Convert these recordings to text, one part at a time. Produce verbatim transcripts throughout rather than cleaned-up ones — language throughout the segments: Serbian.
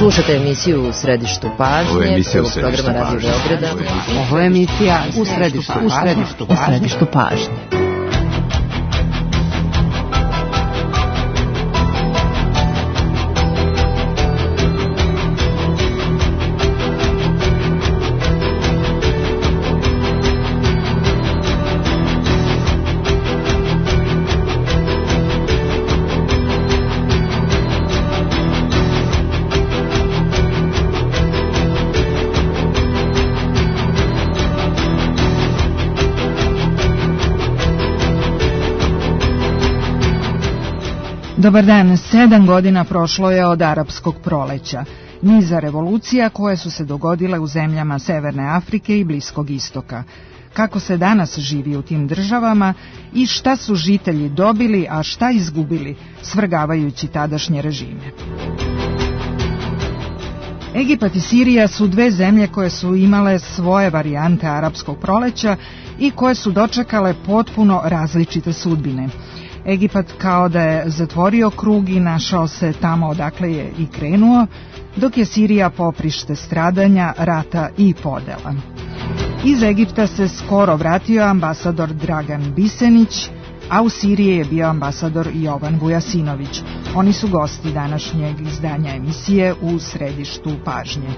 Slušate emisiju U središtu pažnje, prvog programa Radio Beograda. Ovo je emisija U središtu pažnje. U središtu pažnje. Dobar dan, sedam godina prošlo je od arapskog proleća, niza revolucija koje su se dogodile u zemljama Severne Afrike i Bliskog istoka. Kako se danas živi u tim državama i šta su žitelji dobili, a šta izgubili, svrgavajući tadašnje režime. Egipat i Sirija su dve zemlje koje su imale svoje varijante arapskog proleća i koje su dočekale potpuno različite sudbine. Egipat kao da je zatvorio krug i našao se tamo odakle je i krenuo, dok je Sirija poprište stradanja, rata i podela. Iz Egipta se skoro vratio ambasador Dragan Bisenić, a u Siriji je bio ambasador Jovan Vujasinović. Oni su gosti današnjeg izdanja emisije U središtu pažnje.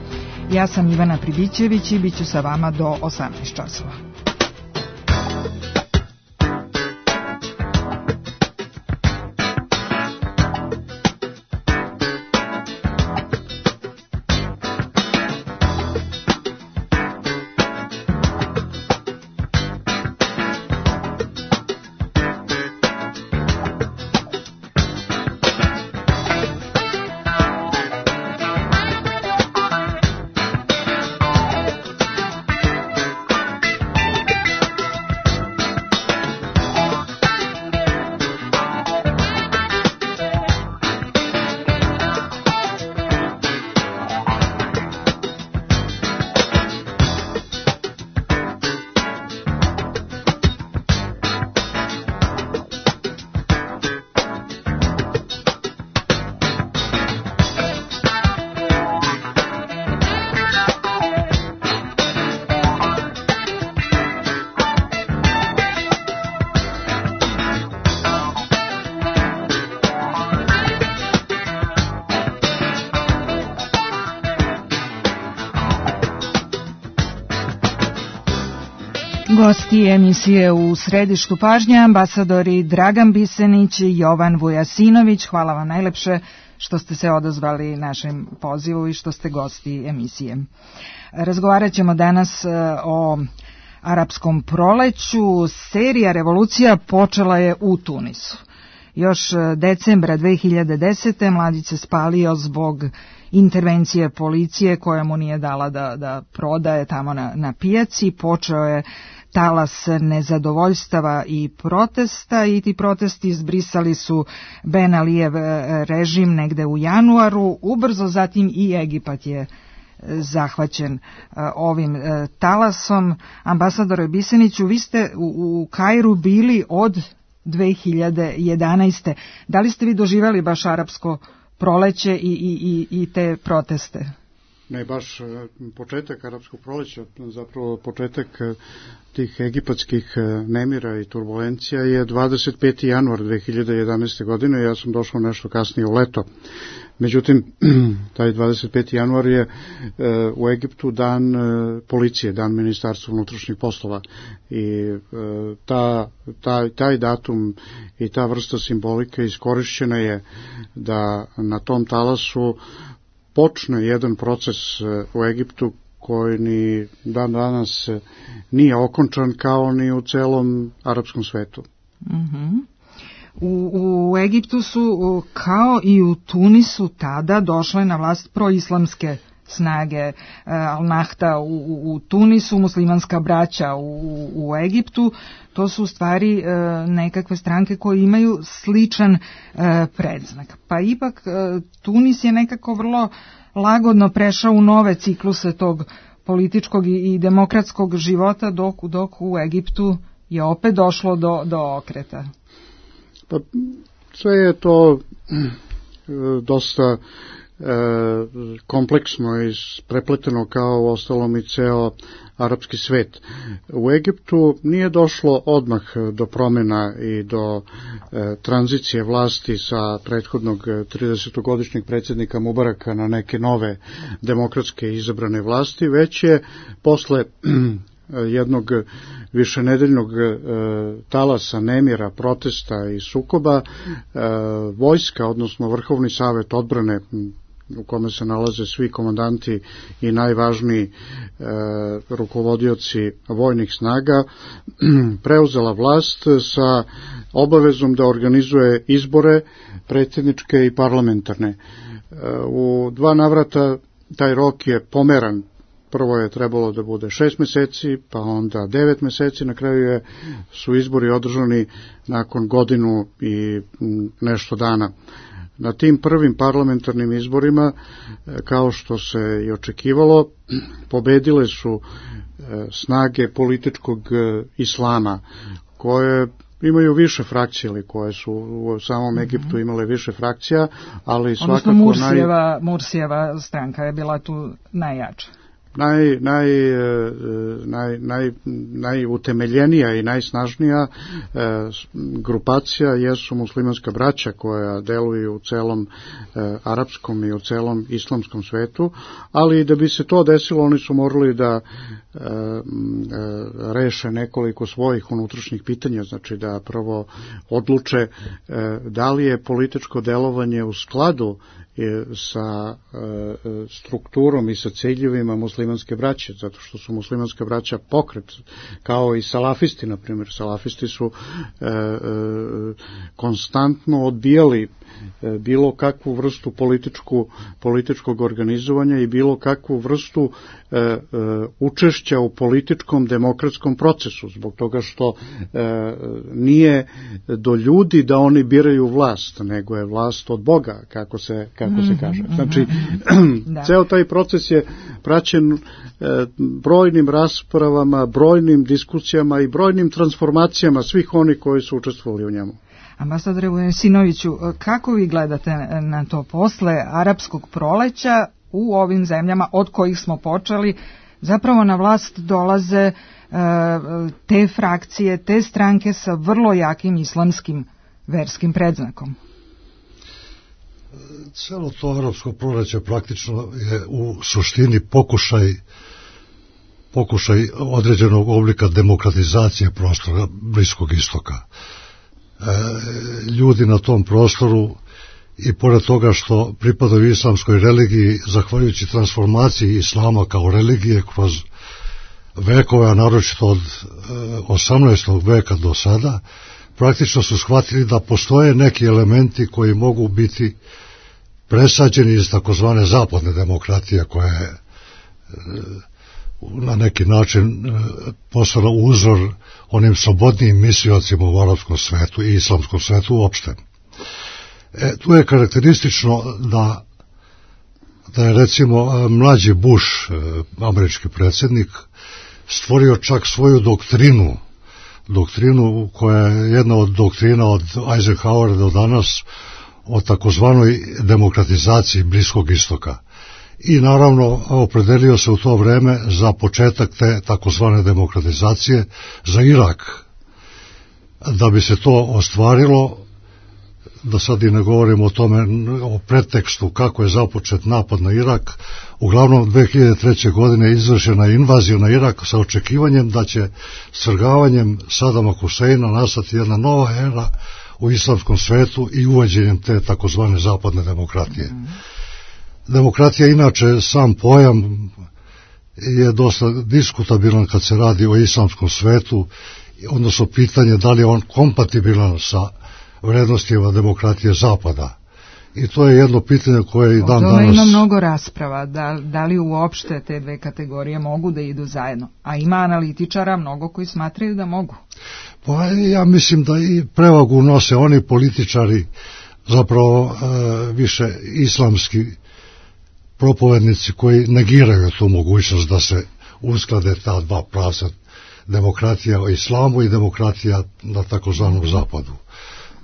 Ja sam Ivana Pribićević i bit ću sa vama do osamnaest časova. Gosti emisije U središtu pažnje, ambasadori Dragan Bisenić i Jovan Vujasinović. Hvala vam najlepše što ste se odazvali našem pozivu i što ste gosti emisije. Razgovarat ćemo danas o arapskom proleću. Serija revolucija počela je u Tunisu. Još decembra dve hiljade desete mladić se spalio zbog intervencije policije koja mu nije dala da, da prodaje tamo na, na pijaci. Počeo je talas nezadovoljstava i protesta i ti protesti izbrisali su Ben Alijev režim negde u januaru. Ubrzo zatim i Egipat je zahvaćen ovim talasom. Ambasadore Biseniću, vi ste u, u Kairu bili od dve hiljade jedanaeste. Da li ste vi doživjeli baš arapsko proleće i, i, i te proteste? Ne, baš početak arapskog proleća, zapravo početak tih egipatskih nemira i turbulencija je dvadeset peti januar dve hiljade jedanaeste. godine, ja sam došao nešto kasnije u leto. Međutim, taj dvadeset peti januar je u Egiptu dan policije, dan Ministarstva unutrašnjih poslova i ta, taj, taj datum i ta vrsta simbolike iskorišćena je da na tom talasu počne jedan proces u Egiptu koji ni dan danas nije okončan kao ni u celom arapskom svetu. Mhm. U, u Egiptu su, kao i u Tunisu, tada došle na vlast proislamske snage. Al-Nahda u, u Tunisu, muslimanska braća u, u Egiptu. To su u stvari nekakve stranke koje imaju sličan predznak. Pa ipak Tunis je nekako vrlo lagodno prešao u nove cikluse tog političkog i, i demokratskog života, dok, dok u Egiptu je opet došlo do, do okreta. Pa sve je to dosta kompleksno i prepleteno kao ostalom i ceo arapski svet. U Egiptu nije došlo odmah do promjena i do e, tranzicije vlasti sa prethodnog tridesetogodišnjeg predsjednika Mubaraka na neke nove demokratske izabrane vlasti, već je posle jednog višenedeljnog e, talasa nemira, protesta i sukoba, e, vojska, odnosno Vrhovni savet odbrane, u kome se nalaze svi komandanti i najvažniji e, rukovodioci vojnih snaga, preuzela vlast sa obavezom da organizuje izbore predsjedničke i parlamentarne. E, u dva navrata taj rok je pomeran. Prvo je trebalo da bude šest meseci, pa onda devet meseci, na kraju je, su izbori održani nakon godinu i nešto dana. Na tim prvim parlamentarnim izborima, kao što se i očekivalo, pobedile su snage političkog islama, koje imaju više frakcije, ili koje su u samom Egiptu imale više frakcija, ali svakako... Odnosno Mursijeva, naj... Mursijeva stranka je bila tu najjača. Naj, naj, naj, naj, najutemeljenija i najsnažnija e, grupacija jesu muslimanska braća koja deluju u celom e, arapskom i u celom islamskom svetu, ali da bi se to desilo oni su morali da e, e, reše nekoliko svojih unutrašnjih pitanja, znači da prvo odluče e, da li je političko delovanje u skladu sa e, strukturom i sa ciljevima muslimanske braće, zato što su muslimanska braća pokret, kao i salafisti, na primjer. Salafisti su e, e, konstantno odbijali e, bilo kakvu vrstu političku, političkog organizovanja i bilo kakvu vrstu e, e, učešća u političkom demokratskom procesu, zbog toga što e, nije do ljudi da oni biraju vlast, nego je vlast od Boga, kako se kako se kaže. Znači, da. Ceo taj proces je praćen e, brojnim raspravama, brojnim diskusijama i brojnim transformacijama svih onih koji su učestvovali u njemu. Ambasadore Vujasinoviću, kako vi gledate na to posle arapskog proleća u ovim zemljama od kojih smo počeli, zapravo na vlast dolaze e, te frakcije, te stranke sa vrlo jakim islamskim verskim predznakom? Celo to arapsko proleće praktično je u suštini pokušaj pokušaj određenog oblika demokratizacije prostora Bliskog istoka. E, ljudi na tom prostoru, i pored toga što pripadaju islamskoj religiji, zahvaljujući transformaciji islama kao religije kroz vekove, a naročito od osamnaestog veka do sada, praktično su shvatili da postoje neki elementi koji mogu biti presađeni iz takozvane zapadne demokratije, koja je na neki način postala uzor onim slobodnijim mislioцima u arapskom svetu i islamskom svetu uopšte. E, tu je karakteristično da, da je recimo mlađi Bush, američki predsjednik, stvorio čak svoju doktrinu, doktrinu koja je jedna od doktrina od Eisenhowera do danas, o takozvanoj demokratizaciji Bliskog istoka. I naravno opredelio se u to vreme za početak te takozvane demokratizacije za Irak. Da bi se to ostvarilo, da sad i ne govorimo o tome, o pretekstu kako je započet napad na Irak, uglavnom dve hiljade treće. godine izvršena invazija na Irak sa očekivanjem da će svrgavanjem Sadama Huseina nastati jedna nova era u islamskom svetu i uvođenjem te takozvane zapadne demokratije. Mm. Demokratija, inače, sam pojam je dosta diskutabilan kad se radi o islamskom svetu, odnosno pitanje da li je on kompatibilan sa vrednostima demokratije Zapada. I to je jedno pitanje koje i dan danas... Ovdje ima mnogo rasprava, da, da li uopšte te dve kategorije mogu da idu zajedno. A ima analitičara mnogo koji smatraju da mogu. Pa ja mislim da i prevagu nose oni političari, zapravo e, više islamski propovednici koji negiraju tu mogućnost da se usklade ta dva pravca, demokratija o islamu i demokratija na takozvanom zapadu.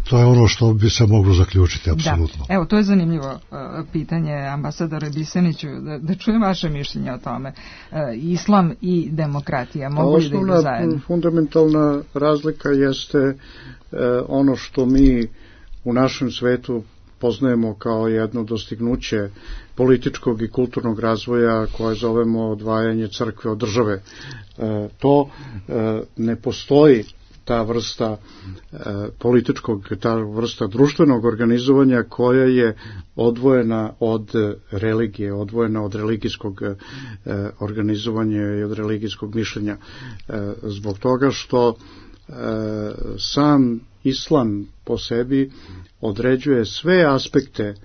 To je ono što bi se moglo zaključiti, apsolutno. Da. Evo, to je zanimljivo uh, pitanje, ambasadore Biseniću, da, da čujem vaše mišljenje o tome. Uh, islam i demokratija mogu li da idu zajedno? Osnovna fundamentalna razlika jeste uh, ono što mi u našem svetu poznajemo kao jedno dostignuće političkog i kulturnog razvoja koje zovemo odvajanje crkve od države. E, to e, ne postoji ta vrsta e, političkog, ta vrsta društvenog organizovanja koja je odvojena od religije, odvojena od religijskog e, organizovanja i od religijskog mišljenja. E, zbog toga što e, sam islam po sebi određuje sve aspekte e,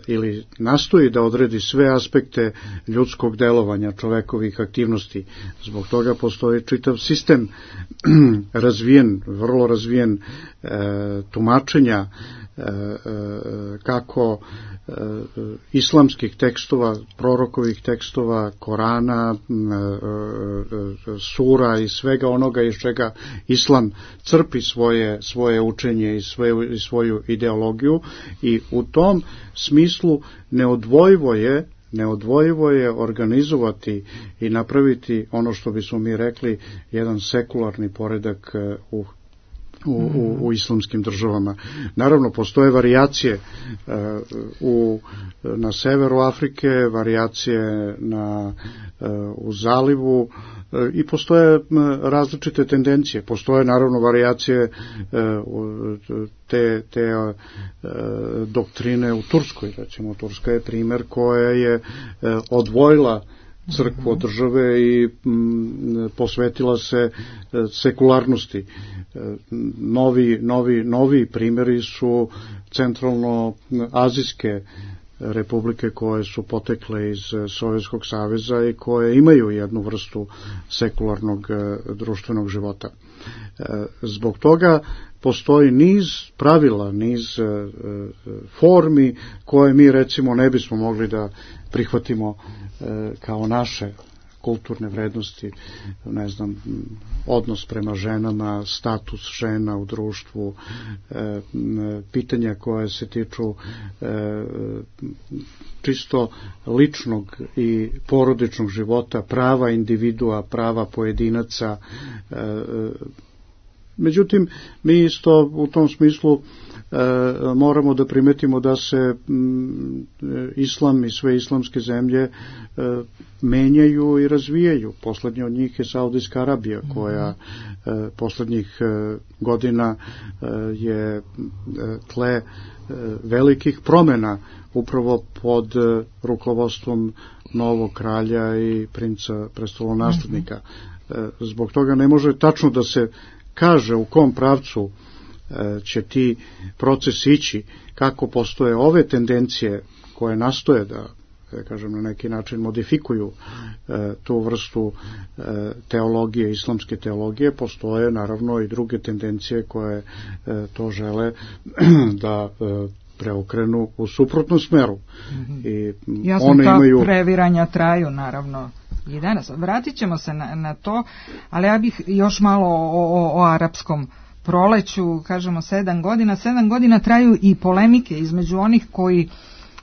ili nastoji da odredi sve aspekte ljudskog delovanja, čovekovih aktivnosti. Zbog toga postoji čitav sistem razvijen, vrlo razvijen e, tumačenja e, e, kako e, islamskih tekstova, prorokovih tekstova, Korana, e, e, sura i svega onoga iz čega islam crpi svoje, svoje učenje i, svoju, i svoju ideologiju, i u tom smislu neodvojivo je neodvojivo je organizovati i napraviti ono što bismo mi rekli jedan sekularni poredak u U, u, u islamskim državama. Naravno, postoje varijacije uh, u, na severu Afrike, varijacije na, uh, u zalivu uh, i postoje uh, različite tendencije. Postoje naravno varijacije uh, te, te uh, doktrine u Turskoj. Recimo, Turska je primer koja je uh, odvojila crkvu od države i m, posvetila se sekularnosti. Novi, novi, novi primjeri su centralno-azijske republike koje su potekle iz Sovjetskog saveza i koje imaju jednu vrstu sekularnog društvenog života. Zbog toga postoji niz pravila, niz formi koje mi recimo ne bismo mogli da prihvatimo kao naše kulturne vrednosti, ne znam, odnos prema ženama, status žena u društvu, e, pitanja koje se tiču e, čisto ličnog i porodičnog života, prava individua, prava pojedinaca. E, međutim, mi isto u tom smislu e, moramo da primetimo da se m, islam i sve islamske zemlje e, menjaju i razvijaju. Poslednja od njih je Saudijska Arabija, koja e, poslednjih e, godina e, je e, tle e, velikih promena upravo pod e, rukovodstvom novog kralja i princa prestolonaslednika. E, zbog toga ne može tačno da se kaže u kom pravcu e, će ti procesi ići, kako postoje ove tendencije koje nastoje da, da kažem, na neki način modifikuju e, tu vrstu e, teologije, islamske teologije, postoje naravno i druge tendencije koje e, to žele da e, preokrenu u suprotnom smeru. I jasno, one ta imaju previranja traju naravno i danas. Vratit ćemo se na, na to, ali ja bih još malo o, o, o arapskom proleću. Kažemo sedam godina. Sedam godina traju i polemike između onih koji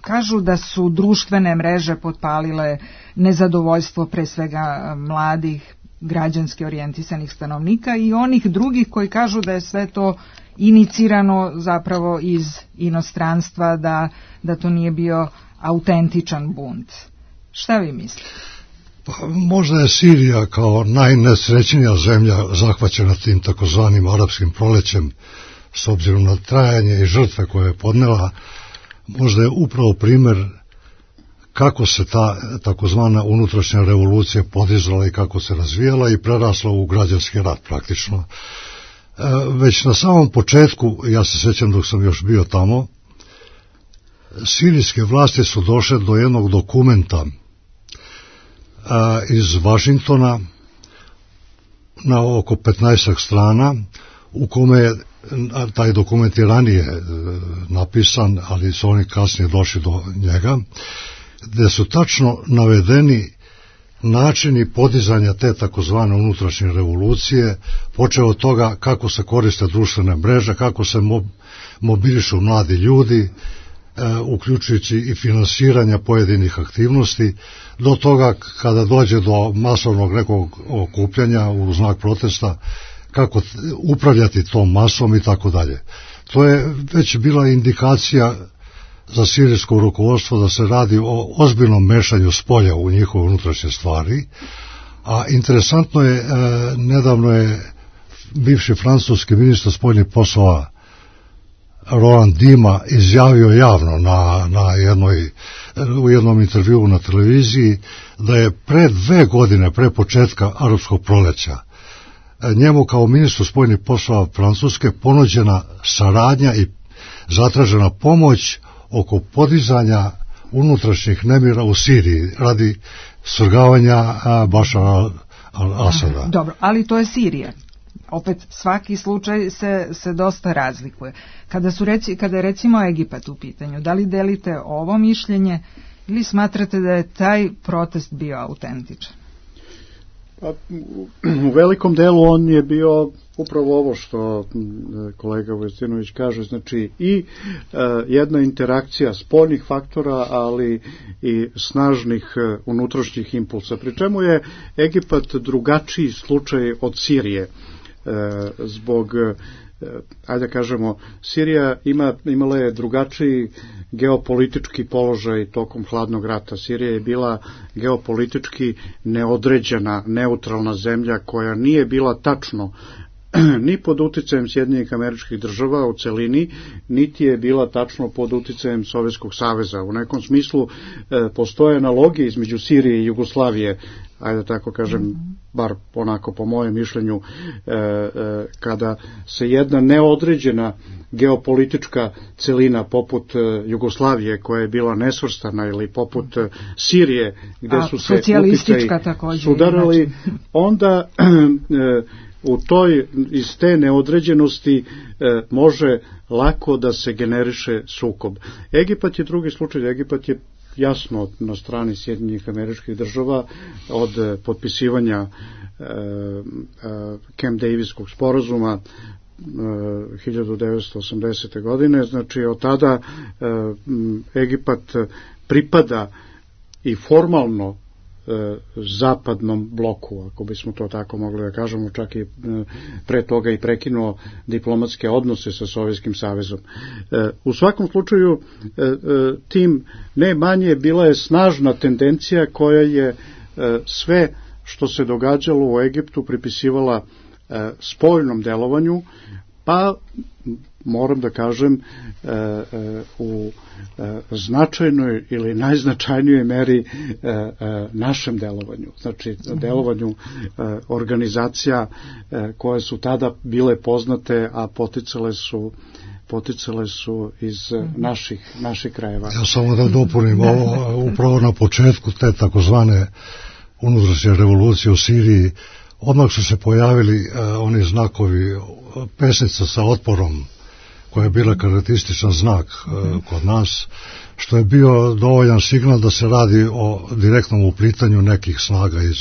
kažu da su društvene mreže potpalile nezadovoljstvo pre svega mladih, građanski orijentisanih stanovnika, i onih drugih koji kažu da je sve to inicirano zapravo iz inostranstva, da, da to nije bio autentičan bunt. Šta vi mislite? Pa, možda je Sirija kao najnesrećnija zemlja zahvaćena tim takozvanim arapskim prolećem, s obzirom na trajanje i žrtve koje je podnela. Možda je upravo primer kako se ta takozvana unutrašnja revolucija podizala i kako se razvijala i prerasla u građanski rat praktično. E, već na samom početku, ja se sjećam dok sam još bio tamo, sirijske vlasti su došle do jednog dokumenta iz Vašingtona na oko petnaestak strana, u kome je, taj dokument je ranije napisan, ali su oni kasnije došli do njega, gde su tačno navedeni načini podizanja te takozvane unutrašnje revolucije, počeo od toga kako se koriste društvene mreže, kako se mo, mobilišu mladi ljudi, uključujući i finansiranja pojedinih aktivnosti, do toga kada dođe do masovnog nekog okupljanja u znak protesta, kako upravljati tom masom i tako dalje. To je već bila indikacija za sirijsko rukovodstvo da se radi o ozbiljnom mešanju spolja u njihove unutrašnje stvari, a interesantno je, nedavno je bivši francuski ministar spoljnih poslova Roland Dima izjavio javno na, na jednoj, u jednom intervjuu na televiziji da je pre dve godine, pre početka arapskog proleća, njemu kao ministru spoljnih poslova Francuske ponuđena saradnja i zatražena pomoć oko podizanja unutrašnjih nemira u Siriji radi svrgavanja Bašara al-Asada. Dobro, ali to je Sirija. Opet svaki slučaj se, se dosta razlikuje. Kada, su reci, kada je recimo Egipat u pitanju, da li delite ovo mišljenje ili smatrate da je taj protest bio autentičan? Pa, u velikom delu on je bio upravo ovo što kolega Vujasinović kaže, znači i e, jedna interakcija spoljnih faktora, ali i snažnih e, unutrašnjih impulsa. Pri čemu je Egipat drugačiji slučaj od Sirije. E, zbog, e, ajde da kažemo, Sirija ima, imala je drugačiji geopolitički položaj tokom hladnog rata. Sirija je bila geopolitički neodređena, neutralna zemlja koja nije bila tačno ni pod uticajem Sjedinjenih Američkih Država u celini, niti je bila tačno pod uticajem Sovjetskog saveza. U nekom smislu e, postoje analogije između Sirije i Jugoslavije, ajde tako kažem, bar onako po mojem mišljenju, e, e, kada se jedna neodređena geopolitička celina poput e, Jugoslavije, koja je bila nesvrstana, ili poput e, Sirije, gde A, su se uticaji sudarali, onda e, u toj, iz te neodređenosti e, može lako da se generiše sukob. Egipat je drugi slučaj. Egipat je jasno na strani Sjedinjenih Američkih Država od e, potpisivanja e, e, Camp Daviskog sporazuma e, hiljadu devetsto osamdesete. godine. Znači od tada e, Egipat pripada i formalno zapadnom bloku, ako bismo to tako mogli da kažemo, čak i pre toga i prekinuo diplomatske odnose sa Sovjetskim savezom. U svakom slučaju tim ne manje bila je snažna tendencija koja je sve što se događalo u Egiptu pripisivala spoljnom delovanju, pa moram da kažem u značajnoj ili najznačajnijoj meri našem delovanju, znači delovanju organizacija koje su tada bile poznate, a poticale su poticale su iz naših, naših krajeva. Ja samo da dopunim ovo, upravo na početku te takozvane unutrašnje revolucije u Siriji, odmah su se pojavili uh, oni znakovi, pesnica sa otporom, koja je bila karakterističan znak uh, kod nas, što je bio dovoljan signal da se radi o direktnom uplitanju nekih snaga iz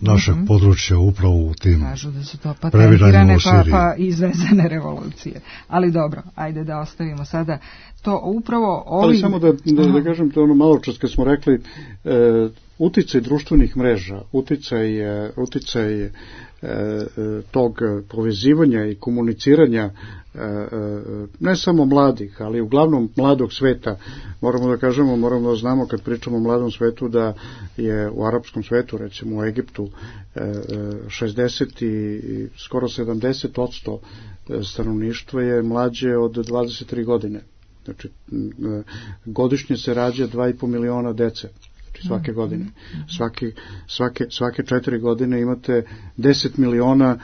našeg mm-hmm. područja upravo u tim kažu da su to patentirane pa, pa izvezene revolucije. Ali dobro, ajde da ostavimo sada to upravo ovi... Ali samo da, da, da kažem to ono malo čas kad smo rekli e, uticaj društvenih mreža, uticaj, e, uticaj e, tog povezivanja i komuniciranja e, ne samo mladih, ali uglavnom mladog sveta. Moramo da kažemo, moramo da znamo kad pričamo o mladom svetu da je u arapskom svetu, recimo u Egiptu, šezdeset i skoro sedamdeset posto stanovništva je mlađe od dvadeset tri godine. Znači, godišnje se rađa dva i po miliona dece. Znači, svake godine. Svaki, svake, svake četiri godine imate deset miliona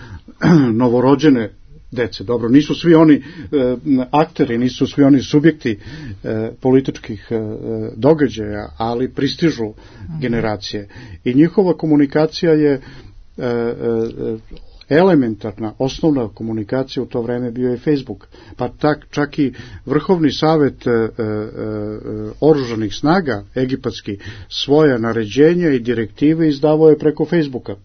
novorođene dece. Dobro, nisu svi oni e, akteri, nisu svi oni subjekti e, političkih e, događaja, ali pristižu generacije. I njihova komunikacija je e, e, elementarna, osnovna komunikacija u to vreme bio je Facebook. Pa tak, čak i Vrhovni savet e, e, oružanih snaga egipatski svoja naređenja i direktive izdavao je preko Facebooka.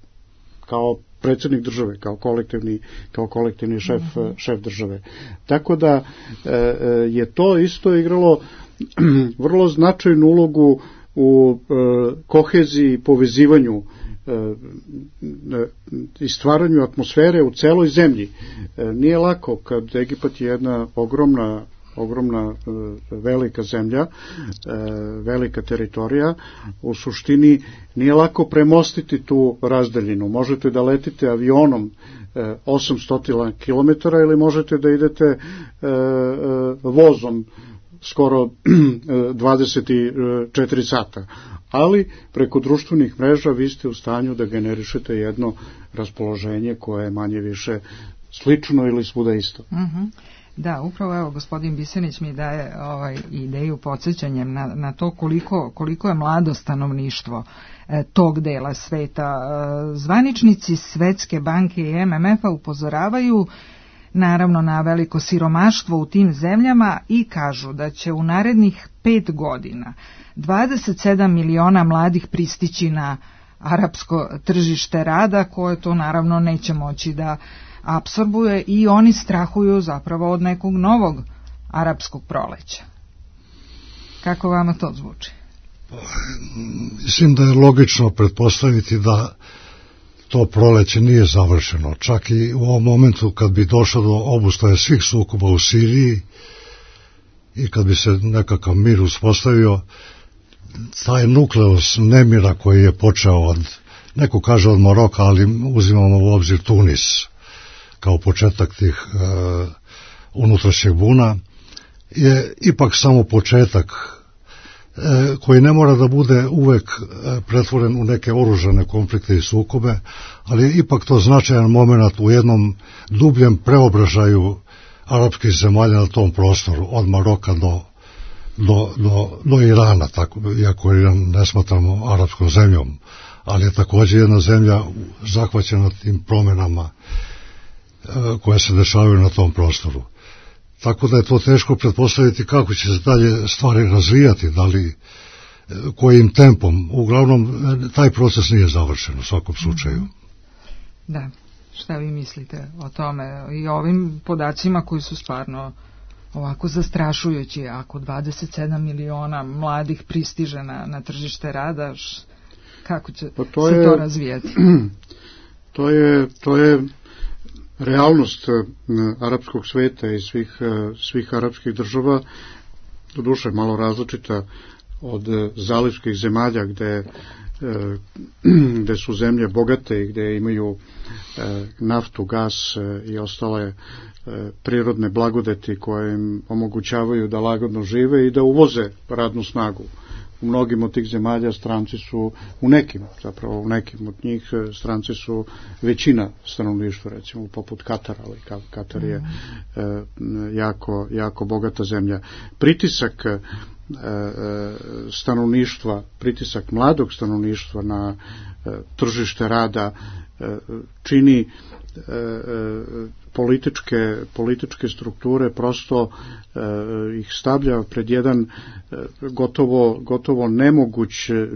kao predsjednik države, kao kolektivni, kao kolektivni šef, mm-hmm. šef države. Tako da je to isto igralo vrlo značajnu ulogu u koheziji i povezivanju i stvaranju atmosfere u celoj zemlji. Nije lako kad Egipat je jedna ogromna ogromna velika zemlja, velika teritorija, u suštini nije lako premostiti tu razdaljinu. Možete da letite avionom osamsto kilometara ili možete da idete vozom skoro dvadeset četiri sata. Ali preko društvenih mreža vi ste u stanju da generišete jedno raspoloženje koje je manje više slično ili svuda isto. Mhm. Da, upravo evo gospodin Bisenić mi daje ovaj ideju podsjećanjem na, na to koliko, koliko je mlado stanovništvo e, tog dela sveta. E, zvaničnici Svetske banke i M M F-a upozoravaju naravno na veliko siromaštvo u tim zemljama i kažu da će u narednih pet godina dvadeset sedam miliona mladih pristići na arapsko tržište rada, koje to naravno neće moći da apsorbuje i oni strahuju zapravo od nekog novog arapskog proleća. Kako vama to zvuči? Mislim da je logično pretpostaviti da to proleće nije završeno. Čak i u ovom momentu kad bi došlo do obustave svih sukoba u Siriji i kad bi se nekakav mir uspostavio, taj nukleus nemira koji je počeo od, neko kaže od Maroka, ali uzimamo u obzir Tunis kao početak tih e, unutrašnjeg buna, je ipak samo početak e, koji ne mora da bude uvek e, pretvoren u neke oružane konflikte i sukobe, ali je ipak to značajan moment u jednom dubljem preobražaju arapskih zemalja na tom prostoru, od Maroka do, do, do, do Irana, tako, iako Iran ne smatramo arapskom zemljom, ali je također jedna zemlja zahvaćena tim promenama koje se dešavaju na tom prostoru. Tako da je to teško pretpostaviti kako će se dalje stvari razvijati, da li kojim tempom. Uglavnom, taj proces nije završen u svakom slučaju. Da, šta vi mislite o tome i ovim podacima koji su stvarno ovako zastrašujući? Ako dvadeset sedam miliona mladih pristiže na, na tržište rada, š, kako će pa to se je, to razvijati? To je, to je realnost arapskog sveta i svih, svih arapskih država, doduše malo različita od zalivskih zemalja gde, gde su zemlje bogate i gde imaju naftu, gas i ostale prirodne blagodeti koje im omogućavaju da lagodno žive i da uvoze radnu snagu. U mnogim od tih zemalja stranci su, u nekim, zapravo u nekim od njih stranci su većina stanovništva, recimo poput Katara, ali Katar je mm. jako, jako bogata zemlja. Pritisak e, stanovništva, pritisak mladog stanovništva na e, tržište rada e, čini e, političke, političke strukture prosto e, ih stavlja pred jedan e, gotovo, gotovo nemoguć e,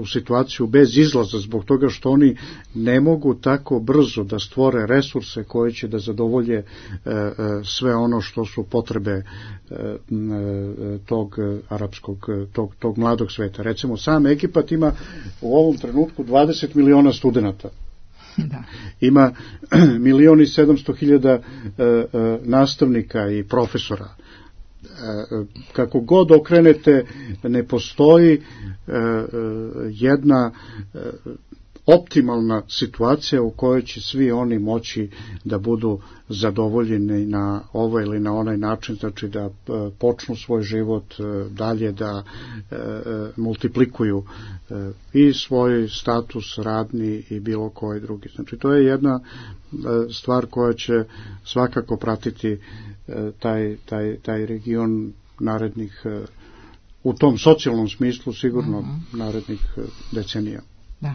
u situaciju bez izlaza, zbog toga što oni ne mogu tako brzo da stvore resurse koje će da zadovolje e, e, sve ono što su potrebe e, e, tog arapskog, tog, tog mladog sveta. Recimo, sam Egipat ima u ovom trenutku dvadeset miliona studenata. Da. Ima milion i sedamsto hiljada e, e, nastavnika i profesora. E, kako god okrenete, ne postoji e, e, jedna e, optimalna situacija u kojoj će svi oni moći da budu zadovoljeni na ovaj ili na onaj način, znači da e, počnu svoj život e, dalje, da e, multiplikuju e, i svoj status radni i bilo koji drugi. Znači to je jedna e, stvar koja će svakako pratiti e, taj, taj, taj region narednih, e, u tom socijalnom smislu sigurno mm-hmm. narednih e, decenija. Da,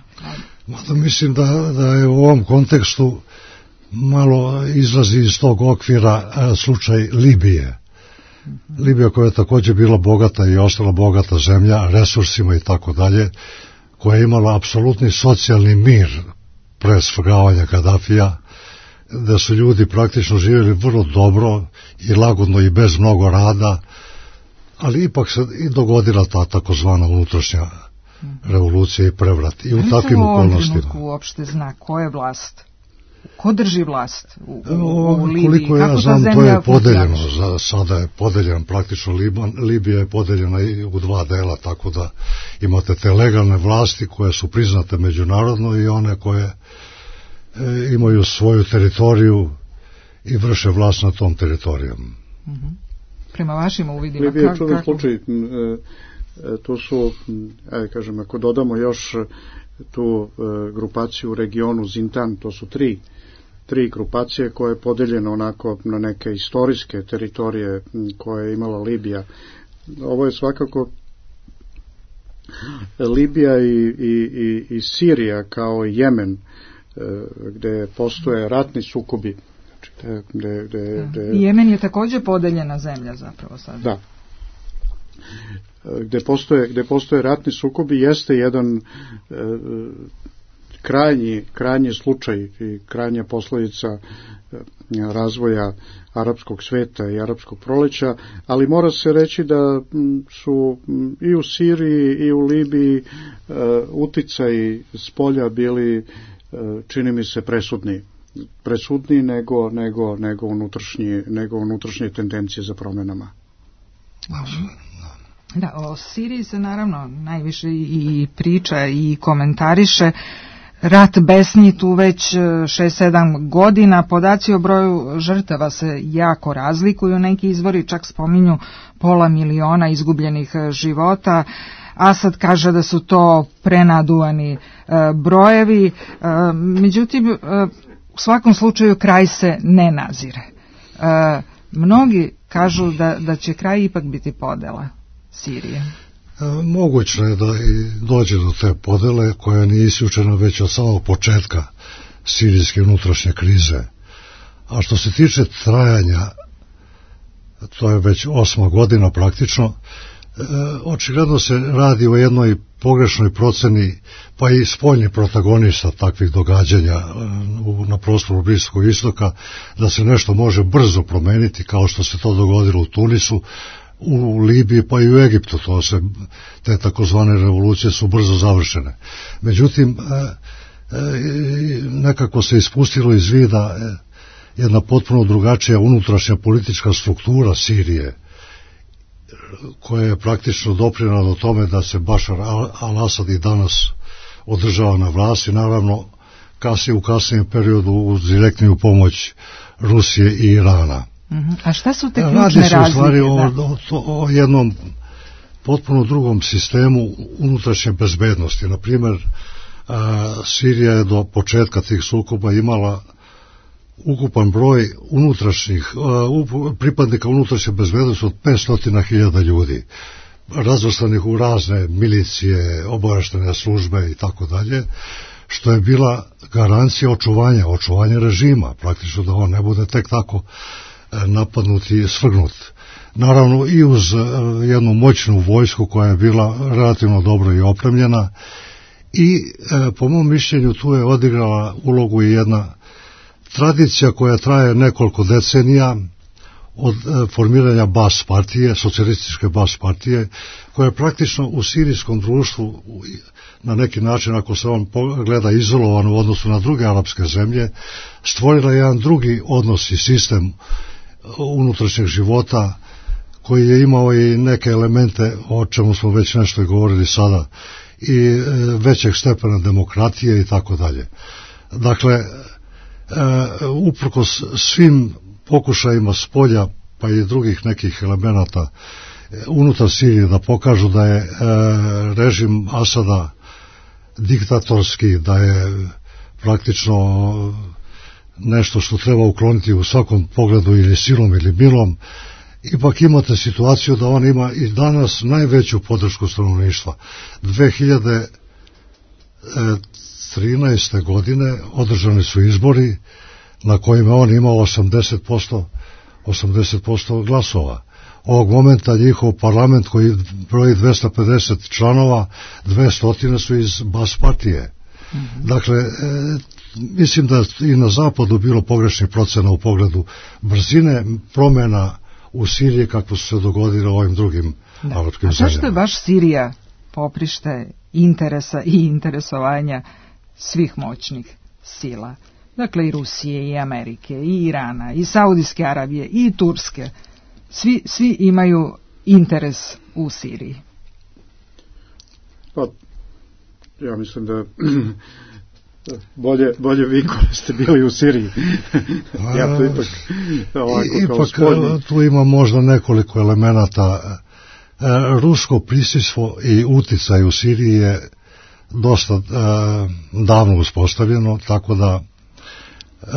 da. Mislim da, da je u ovom kontekstu malo izlazi iz tog okvira a, slučaj Libije. Mm-hmm. Libija koja je također bila bogata i ostala bogata zemlja, resursima i tako dalje, koja je imala apsolutni socijalni mir pre svrgavanja Kadafija, da su ljudi praktično živjeli vrlo dobro i lagodno i bez mnogo rada, ali ipak se i dogodila ta takozvana unutrašnja revolucija i prevrat. I u takvim okolnostima. Ali se u ovom uopšte zna ko je vlast? Ko drži vlast u, u, u Libiji? Koliko ja znam, to je podeljeno. Za, sada je podeljen praktično Liban. Libija je podeljena i u dva dela, tako da imate te legalne vlasti koje su priznate međunarodno i one koje e, imaju svoju teritoriju i vrše vlast na tom teritorijom. Mm-hmm. Prema vašim uvidima, Libija je čudan slučaj. E, to su, ajde kažem, ako dodamo još tu e, grupaciju u regionu Zintan, to su tri, tri grupacije koje je podeljeno onako na neke istorijske teritorije koje je imala Libija. Ovo je svakako Libija i, i, i, i Sirija kao i Jemen, e, gde postoje ratni sukobi. Znači, gde, gde, gde, Jemen je također podeljena zemlja zapravo sad. Da. Gde postoje, gde postoje ratni sukobi jeste jedan e, krajnji, krajnji slučaj i krajnja posljedica e, razvoja arapskog sveta i arapskog proleća, ali mora se reći da su i u Siriji i u Libiji e, uticaji s polja bili, e, čini mi se, presudni. presudniji nego, nego, nego, unutrašnje, nego unutrašnje tendencije za promjenama. Da, o Siriji se naravno najviše i priča i komentariše. Rat besni tu već šest sedam godina, podaci o broju žrtava se jako razlikuju, neki izvori čak spominju pola miliona izgubljenih života. Asad kaže da su to prenaduvani e, brojevi, e, međutim e, u svakom slučaju kraj se ne nazire. E, mnogi kažu da, da će kraj ipak biti podela Sirije. E, moguće je da i dođe do te podele koja nije isključena već od samog početka sirijske unutrašnje krize. A što se tiče trajanja, to je već osma godina praktično, e, očigledno se radi o jednoj pogrešnoj proceni, pa i spoljni protagonista takvih događanja na prostoru Bliskog istoka, da se nešto može brzo promeniti, kao što se to dogodilo u Tunisu, u Libiji, pa i u Egiptu. To se, te takozvane revolucije su brzo završene. Međutim, nekako se ispustilo iz vida jedna potpuno drugačija unutrašnja politička struktura Sirije, koja je praktično doprinela do tome da se Bašar al-Asad i danas održava na vlasti, naravno kasnije u kasnijem periodu uz direktniju pomoć Rusije i Irana. Uh-huh. A šta su te ključne razlike? Radi se u stvari o, o, o jednom potpuno drugom sistemu unutrašnje bezbednosti. Na primjer, a, Sirija je do početka tih sukoba imala ukupan broj unutrašnjih, uh, pripadnika unutrašnje bezbednosti od petsto hiljada ljudi, razvrstanih u razne milicije, obavještajne službe i tako dalje, što je bila garancija očuvanja, očuvanja režima, praktično da on ne bude tek tako uh, napadnut i svrgnut. Naravno i uz uh, jednu moćnu vojsku koja je bila relativno dobro i opremljena i uh, po mom mišljenju tu je odigrala ulogu i jedna tradicija koja traje nekoliko decenija od e, formiranja Bas partije, socijalističke Bas partije, koja je praktično u sirijskom društvu na neki način, ako se on gleda izolovan u odnosu na druge arapske zemlje, stvorila jedan drugi odnos i sistem unutrašnjeg života koji je imao i neke elemente, o čemu smo već nešto i govorili sada, i e, većeg stepena demokratije i tako dalje. Dakle, Uh, uprkos svim pokušajima s polja pa i drugih nekih elemenata uh, unutar Sirije da pokažu da je uh, režim Asada diktatorski, da je praktično nešto što treba ukloniti u svakom pogledu ili silom ili milom, ipak imate situaciju da on ima i danas najveću podršku stanovništva. dve hiljade trinaeste. godine održani su izbori na kojima on imao osamdeset posto, osamdeset posto glasova. Ovog momenta njihov parlament koji broji dvesta pedeset članova, dvesta su iz Bas partije. Mm-hmm. Dakle, e, mislim da i na zapadu bilo pogrešnih procena u pogledu brzine promjena u Siriji kako su se dogodile u ovim drugim da. Arapskim zemljama. A zašto je baš Sirija poprište interesa i interesovanja svih moćnih sila? Dakle, i Rusije, i Amerike, i Irana, i Saudijske Arabije, i Turske. Svi, svi imaju interes u Siriji. Pa, ja mislim da bolje, bolje vi koji ste bili u Siriji. Ja to ipak ovako kao ipak, spoljni. Tu ima možda nekoliko elemenata. Rusko prisustvo i uticaj u Siriji je dosta uh, davno uspostavljeno, tako da uh,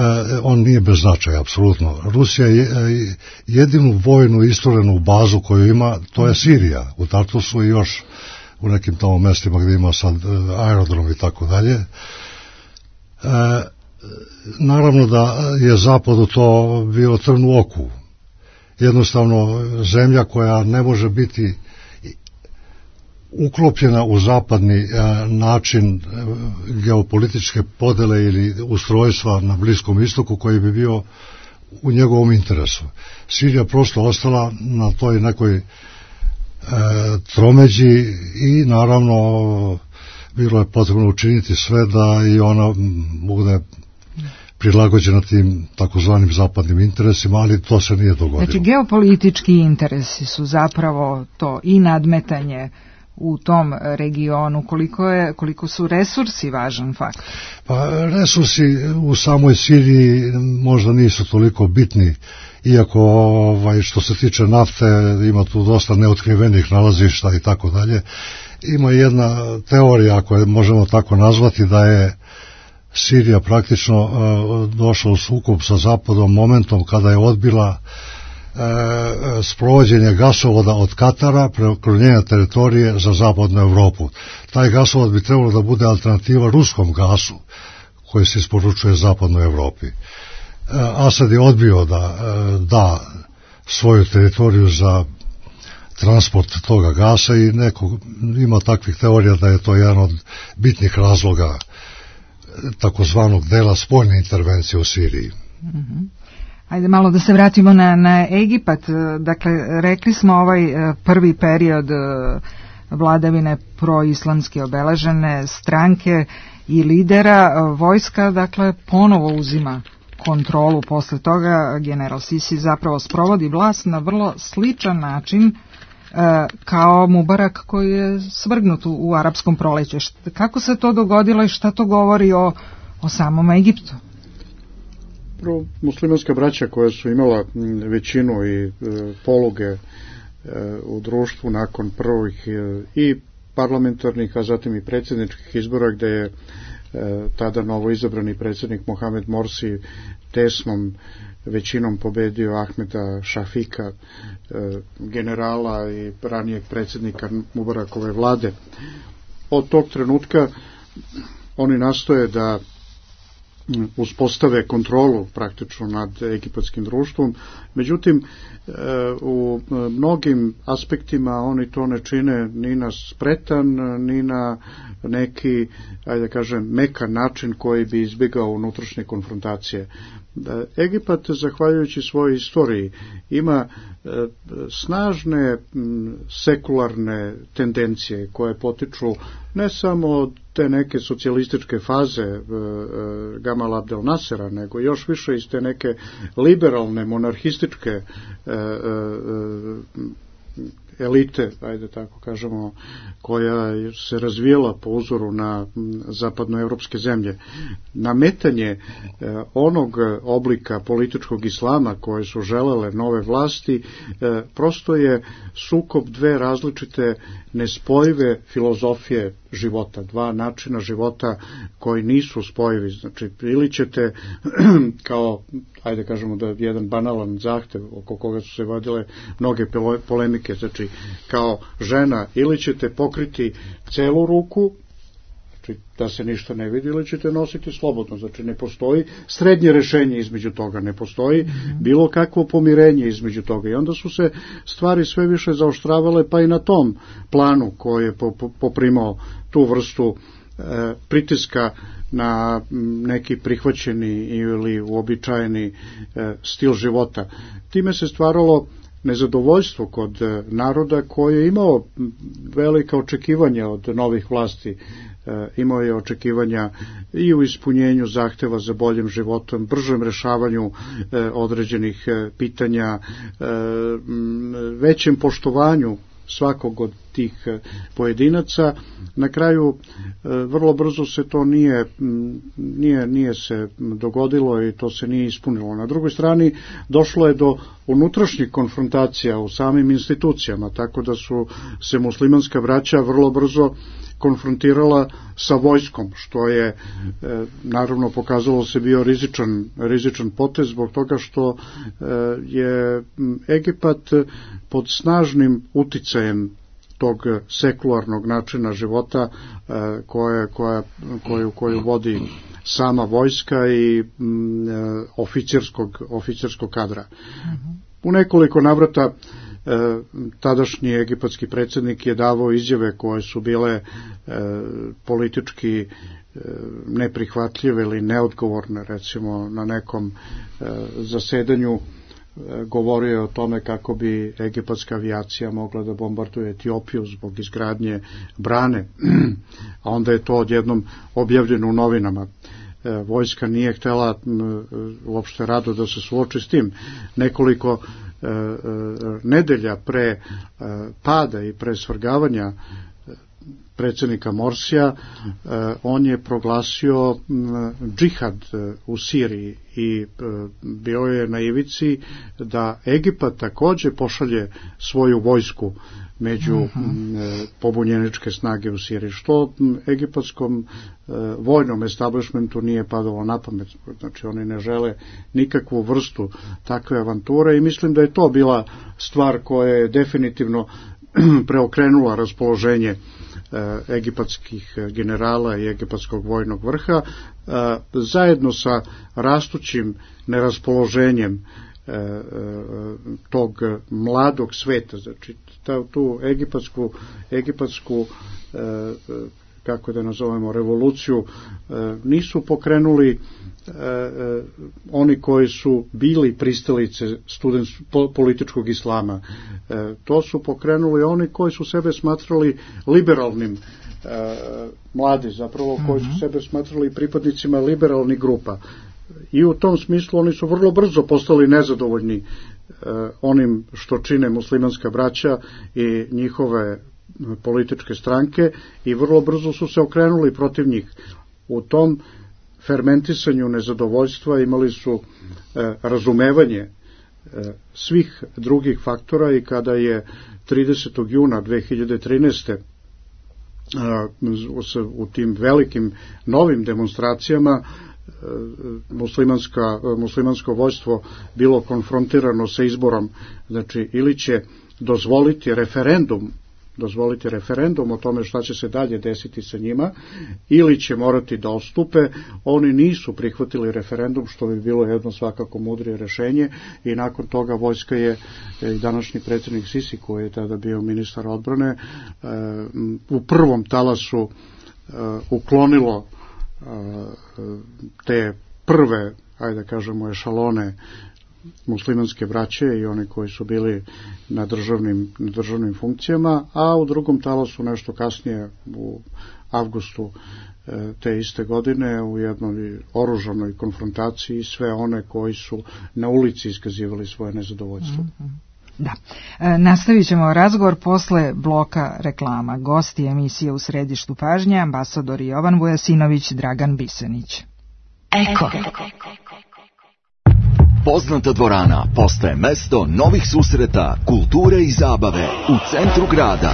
on nije bez značaja, apsolutno. Rusija je jedinu vojnu isturenu bazu koju ima, to je Sirija, u Tartusu i još u nekim tamo mestima gdje ima sad uh, aerodrom i tako dalje. Uh, naravno da je Zapadu to bio trn u oku. Jednostavno zemlja koja ne može biti uklopljena u zapadni a, način a, geopolitičke podele ili ustrojstva na Bliskom istoku koji bi bio u njegovom interesu. Sirija prosto ostala na toj nekoj a, tromeđi i naravno bilo je potrebno učiniti sve da i ona bude prilagođena tim takozvanim zapadnim interesima, ali to se nije dogodilo. Znači, geopolitički interesi su zapravo to i nadmetanje u tom regionu, koliko, je, koliko su resursi važan faktor? Pa resursi u samoj Siriji možda nisu toliko bitni, iako ovaj, što se tiče nafte ima tu dosta neotkrivenih nalazišta i tako dalje. Ima jedna teorija, ako je možemo tako nazvati, da je Sirija praktično uh, došla u sukob sa Zapadom momentom kada je odbila uh, sprovođenje gasovoda od Katara preko njene teritorije za zapadnu Europu. Taj gasovod bi trebalo da bude alternativa ruskom gasu koji se isporučuje zapadnoj Europi. Uh, Asad je odbio da uh, da svoju teritoriju za transport toga gasa i neko, ima takvih teorija da je to jedan od bitnih razloga takozvanog dela spoljne intervencije u Siriji. Mm-hmm. Ajde malo da se vratimo na, na Egipat. Dakle, rekli smo ovaj prvi period vladavine proislamski obeležene stranke i lidera, vojska, dakle, ponovo uzima kontrolu. Posle toga general Sisi zapravo sprovodi vlast na vrlo sličan način kao Mubarak koji je svrgnut u, u arapskom proleću. Kako se to dogodilo i šta to govori o, o samom Egiptu? Prvo, muslimanska braća koja su imala većinu i e, poluge e, u društvu nakon prvih e, i parlamentarnih, a zatim i predsjedničkih izbora, gde je e, tada novo izabrani predsjednik Mohamed Morsi tesnom većinom pobedio Ahmeda Šafika, e, generala i ranijeg predsjednika Mubarakove vlade. Od tog trenutka oni nastoje da uspostave kontrolu praktično nad egipatskim društvom, međutim u mnogim aspektima oni to ne čine ni na spretan, ni na neki, ajde da kažem, mekan način koji bi izbjegao unutrašnje konfrontacije. Egipat, zahvaljujući svojoj istoriji, ima snažne sekularne tendencije koje potiču ne samo od te neke socijalističke faze Gamal Abdel Nasera, nego još više iz te neke liberalne, monarhističke elite, ajde tako kažemo, koja se razvijela po uzoru na zapadnoevropske zemlje. Nametanje onog oblika političkog islama koje su želele nove vlasti prosto je sukob dve različite nespojive filozofije života, dva načina života koji nisu spojivi. Znači, ili ćete kao, ajde kažemo da je jedan banalan zahtev oko koga su se vodile mnoge polemike, znači kao žena ili ćete pokriti celu ruku, znači da se ništa ne vidi, ili ćete nositi slobodno, znači ne postoji srednje rešenje između toga, ne postoji mm-hmm. bilo kakvo pomirenje između toga i onda su se stvari sve više zaoštravale pa i na tom planu koji je poprimao tu vrstu pritiska na neki prihvaćeni ili uobičajeni stil života. Time se stvaralo nezadovoljstvo kod naroda koji je imao velika očekivanja od novih vlasti. Imao je očekivanja i u ispunjenju zahteva za boljim životom, bržem rešavanju određenih pitanja, većem poštovanju svakog od tih pojedinaca. Na kraju vrlo brzo se to nije, nije, nije se dogodilo i to se nije ispunilo. Na drugoj strani došlo je do unutrašnjih konfrontacija u samim institucijama, tako da su se muslimanska braća vrlo brzo konfrontirala sa vojskom, što je e, naravno pokazalo se bio rizičan, rizičan potez zbog toga što e, je Egipat pod snažnim uticajem tog sekularnog načina života e, koje, koja, koju, koju vodi sama vojska i m, e, oficirskog, oficirskog kadra. U nekoliko navrata E, tadašnji egipatski predsjednik je davao izjave koje su bile e, politički e, neprihvatljive ili neodgovorne. Recimo na nekom e, zasedanju e, govorio je o tome kako bi egipatska avijacija mogla da bombarduje Etiopiju zbog izgradnje brane, a onda je to odjednom objavljeno u novinama. E, vojska nije htjela m, uopšte rado da se suoči s tim. Nekoliko nedelja pre pada i pre svrgavanja predsjednika Morsija, on je proglasio džihad u Siriji i bio je na ivici da Egipat takođe pošalje svoju vojsku među uh-huh. pobunjeničke snage u Siriji, što egipatskom vojnom establishmentu nije padalo na pamet. Znači oni ne žele nikakvu vrstu takve avanture i mislim da je to bila stvar koja je definitivno preokrenula raspoloženje egipatskih generala i egipatskog vojnog vrha, zajedno sa rastućim neraspoloženjem tog mladog sveta. Znači tu egipatsku, egipatsku kako da nazovemo, revoluciju nisu pokrenuli oni koji su bili pristalice student, političkog islama. To su pokrenuli oni koji su sebe smatrali liberalnim mladi, zapravo koji su sebe smatrali pripadnicima liberalnih grupa. I u tom smislu oni su vrlo brzo postali nezadovoljni onim što čine muslimanska braća i njihove političke stranke i vrlo brzo su se okrenuli protiv njih. U tom fermentisanju nezadovoljstva imali su e, razumevanje e, svih drugih faktora i kada je tridesetog juna dve hiljade trinaeste. E, u tim velikim novim demonstracijama e, muslimanska, muslimansko vojstvo bilo konfrontirano sa izborom, znači ili će dozvoliti referendum dozvoliti referendum o tome šta će se dalje desiti sa njima, ili će morati da odstupe. Oni nisu prihvatili referendum, što bi bilo jedno svakako mudrije rešenje, i nakon toga vojska je, i današnji predsjednik Sisi, koji je tada bio ministar odbrane, u prvom talasu uklonilo te prve, ajde da kažemo, ešalone muslimanske braće i oni koji su bili na državnim, na državnim funkcijama, a u drugom talasu nešto kasnije u avgustu te iste godine u jednoj oružanoj konfrontaciji sve one koji su na ulici iskazivali svoje nezadovoljstvo. Da. E, nastavit ćemo razgovor posle bloka reklama. Gosti emisije U središtu pažnje, ambasador Jovan Vujasinović, Dragan Bisenić. Eko. Poznata dvorana postaje mesto novih susreta, kulture i zabave u centru grada.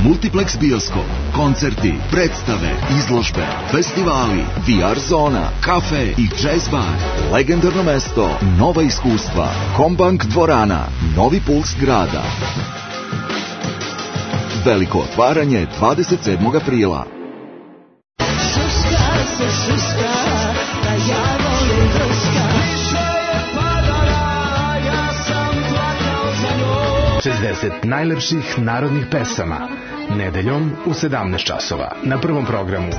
Multiplex bioskop, koncerti, predstave, izložbe, festivali, V R zona, kafe i jazz bar. Legendarno mesto, nova iskustva. Kombank dvorana, novi puls grada. Veliko otvaranje dvadeset sedmog aprila. Šuška se šuška, da ja volim vrška. šezdeset najlepših narodnih pesama Nedeljom u sedamnaest časova na Prvom programu.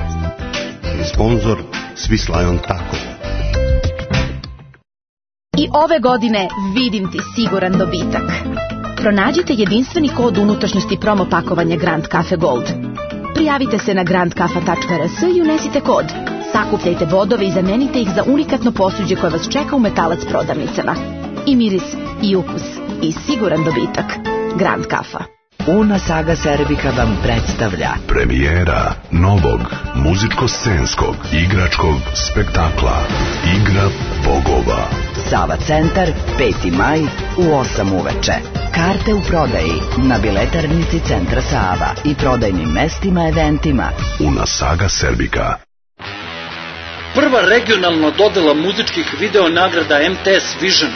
Sponzor Swiss Tako. I ove godine vidim ti siguran dobitak. Pronađite jedinstveni kod unutrašnjosti promo pakovanja Grand Cafe Gold. Prijavite se na grand kafa tačka r s i unesite kod. Sakupljajte bodove i zamenite ih za unikatno posuđe koje vas čeka u Metalac prodavnicama. I miris, i ukus, i siguran dobitak. Grand Kafa. Una Saga Serbika vam predstavlja premijera novog muzičko-scenskog igračkog spektakla Igra bogova. Sava centar, peti maj u osam uveče. Karte u prodaji na biletarnici Centra Sava i prodajnim mestima eventima. Una Saga Serbika. Prva regionalna dodela muzičkih video nagrada M T S Vision.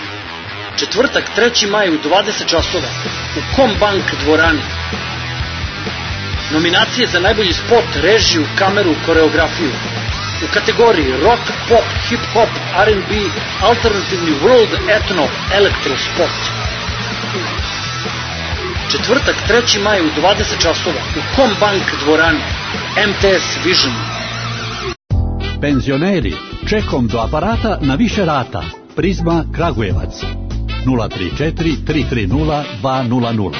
Četvrtak, treći maj u dvadeset časova u Combank dvorani. Nominacije za najbolji spot, režiju, kameru, koreografiju. U kategoriji rock, pop, hip-hop, R and B, alternativni world, etno, elektro spot. Četvrtak, treći maj u dvadeset časova u Combank dvorani. M T S Vision. Penzioneri, čekom do aparata na više rata. Prizma Kragujevac. nula tri četiri tri tri nula dva nula nula.